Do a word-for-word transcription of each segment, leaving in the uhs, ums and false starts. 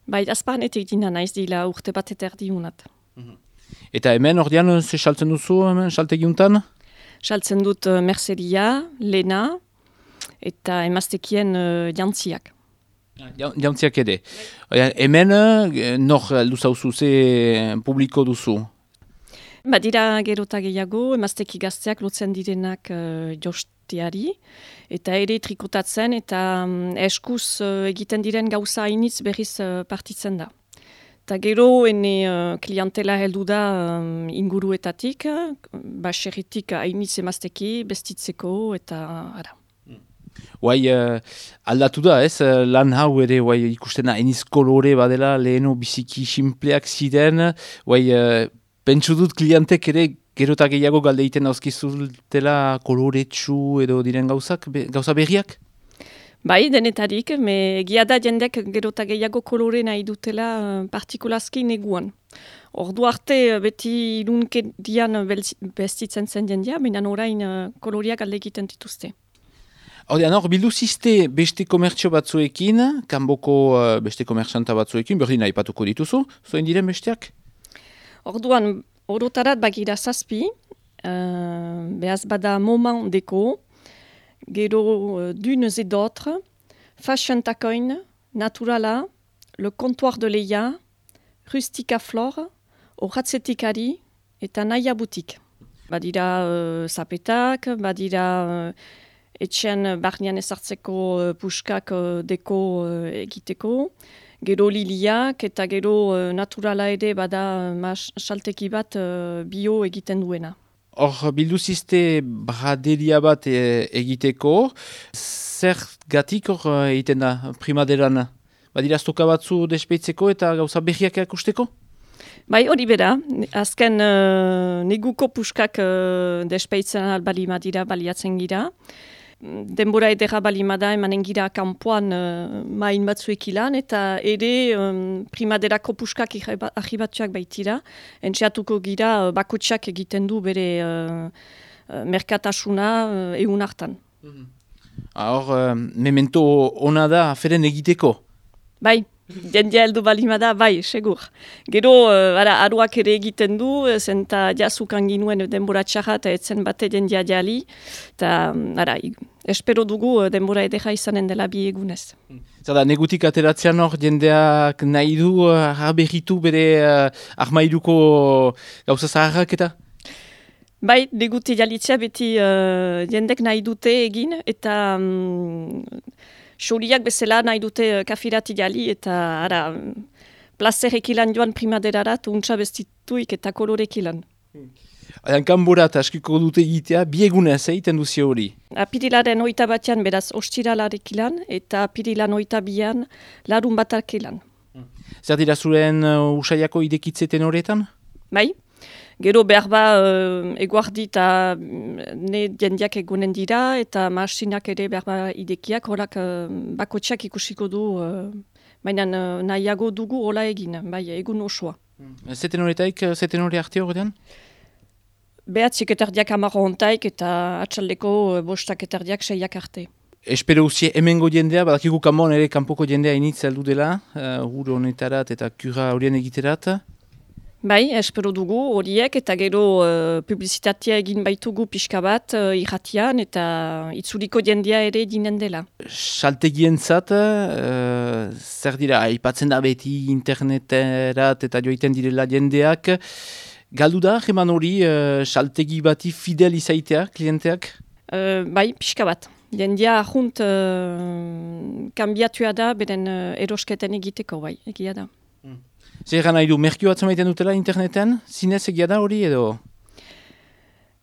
Bai, azparnetik dina naiz dila urte bat eta erdi unat. Eta hemen ordean, ze saltzen duzu hemen saltegiuntan? Saltzen dut uh, merceria, lena eta emaztekien uh, jantziak. Ja, jantziak ere. Bai. Hemen, nor luzauzu, ze publiko duzu? Badira gerota gehiago, emazteki gazteak lotzen direnak uh, josteari, eta ere trikotatzen, eta um, eskuz uh, egiten diren gauza hainitz berriz uh, partitzen da. Eta gero, ene uh, klientela heldu da um, inguruetatik, baserritik hainitz emazteki, bestitzeko, eta ara. Guai, uh, aldatu da, ez? Lan hau ere, guai, ikustena eniz kolore badela, leheno biziki simpleak ziren, guai, uh, pentsu dut klientek ere gerota gehiago galde egiten dauzkizultela koloretsu edo diren gauzak, be, gauza berriak? Bai, denetarik, me egia da jendek gerota gehiago kolore nahi dutela uh, partikulazki neguan. Ordu arte beti ilunkedian bestitzen zen jendea, baina orain uh, koloriak alde egiten dituzte. Hordean, hor, bildu ziste beste komertzio batzuekin, kanboko uh, beste komertzanta batzuekin, berdin nahi patuko dituzu, zoen diren besteak? Orduan, orotarat bagira zazpi, uh, behaz bada Moment Deko, gero uh, Dunes et d'autres, Fashion Tacoin, Naturala, Le Comptoir de Leia, Rustica Flore, Horatzetikari eta Naia Boutique. Badira uh, zapetak, badira uh, etxen barnean ezartzeko uh, puskak uh, deko uh, egiteko, gero liliak eta gero uh, naturala ere bada mas, salteki bat uh, bio egiten duena. Hor, bildu ziste braderia bat e, egiteko, zer gatik hor egiten da primaderan? Badira stoka batzu despeitzeko eta gauza berriak akusteko? Bai, hori bera, azken uh, neguko puskak uh, despeitzen albali madira baliatzen gira. Denbora edera balimada emanen gira kanpoan uh, main batzuek ilan, eta ere um, primaderako puskak ahibatuak baitira. Entxeatuko gira uh, bakotxak egiten du bere uh, uh, merkatasuna uh, egun hartan. Mm-hmm. Hor, uh, memento ona da aferen egiteko? Bai. Jendia heldu balimada, bai, segur. Gero, uh, ara, aruak ere egiten du, zenta jazukan ginuen denbora txarra eta etzen bate jendia jali. Eta, ara, espero dugu denbora edera izanen dela bi egunez. Zada, negutik ateratzean hor, jendeak nahi du uh, aberritu bere uh, armairuko gauza zaharrak eta? Bai, neguti jalitzea beti uh, jendek nahi dute egin, eta... Um, Xoriak bezala nahi dute kafirati jali eta ara, plazerek ilan joan primaderarat, untsa bestituik eta kolorek ilan. Adan kanborat askiko dute egitea, biegunez egiten duzi hori? Apirilaren oita batean beraz ostiralarek ilan eta apirilan oita bian larun batak ilan. Zer dira zuren uh, usaiako idekitzeten horretan? Bai. Gero behar ba uh, eguardi eta ne jendiak egunen dira eta masinak ere behar ba idekiak horak uh, bakotxak ikusiko du, uh, baina uh, nahiago dugu hola egin, bai egun osoa. Zeten horretaik, zeten horre arte horretan? Behatzik etardiak amarro hontaik eta atxaldeko uh, bostak etardiak seiak arte. Espero uzie hemengo jendea, badakigu kanbon ere kanpoko jendea initz heldu dela, uh, hur honetarat eta kura horien egiterat. Bai, espero dugu horiek eta gero uh, publizitatea egin baitugu pixka bat uh, irratian eta itzuliko jendea ere dinen dela. Saltegientzat, uh, zer dira, aipatzen da beti interneterat eta joiten direla jendeak. Galdu da, jeman hori, uh, saltegi bati fidel izaitea, klienteak? Uh, bai, pixka bat. Jendea ahunt uh, kanbiatua da, beren uh, erosketen egiteko, bai, egia da. Mm. Zer gana idu, merkio batzen maiten dutela interneten? Zinez egia da hori edo?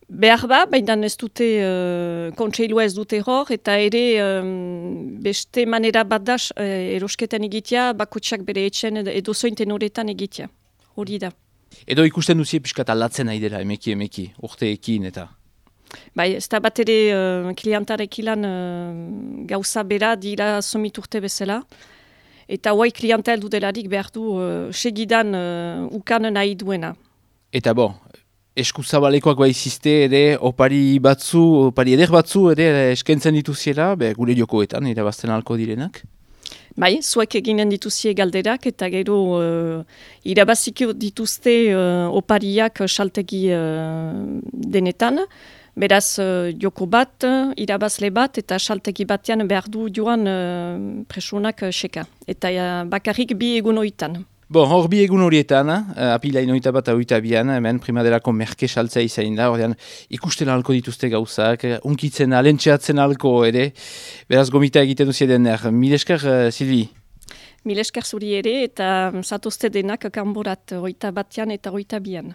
Behar ba, baina ez dute, uh, kontseilua ez dute hor, eta ere um, beste manera bat da uh, erosketan egitea, bakotxak bere etxen edo zointen horretan egitea. Hori da. Edo ikusten duzie pixkat alatzen nahi dela, emeki emeki, urteekin eta? Bai, ez da bat ere uh, klientarek ilan uh, gauza bera dira somit urte bezala. Eta huai klientel dudelarik behar du uh, segidan uh, ukan nahi duena. Eta bo, eskuzabalekoak bai ziste ere, opari batzu, opari eder batzu ere eskentzen dituziela, be, gure jokoetan, irabazten halko direnak? Bai, zuek eginen dituzie galderak eta gero uh, irabaziko dituzte uh, opariak saltegi uh, denetan. Beraz, uh, joko bat, irabazle bat eta saltegi batean behar du joan uh, presunak uh, seka. Eta uh, bakarrik bi egun hoitan. Bon, hor bi egun horietan, uh, apilain oita bat oita bian, hemen primaderako merke saltzea izain da, ordean ikusten alko dituzte gauzak, unkitzen, alentxeatzen alko ere, beraz gomita egiten duzia dener. Mil esker, uh, Silvi? Mil esker zuri ere eta zatozte denak kanborat oita batean eta oita bian.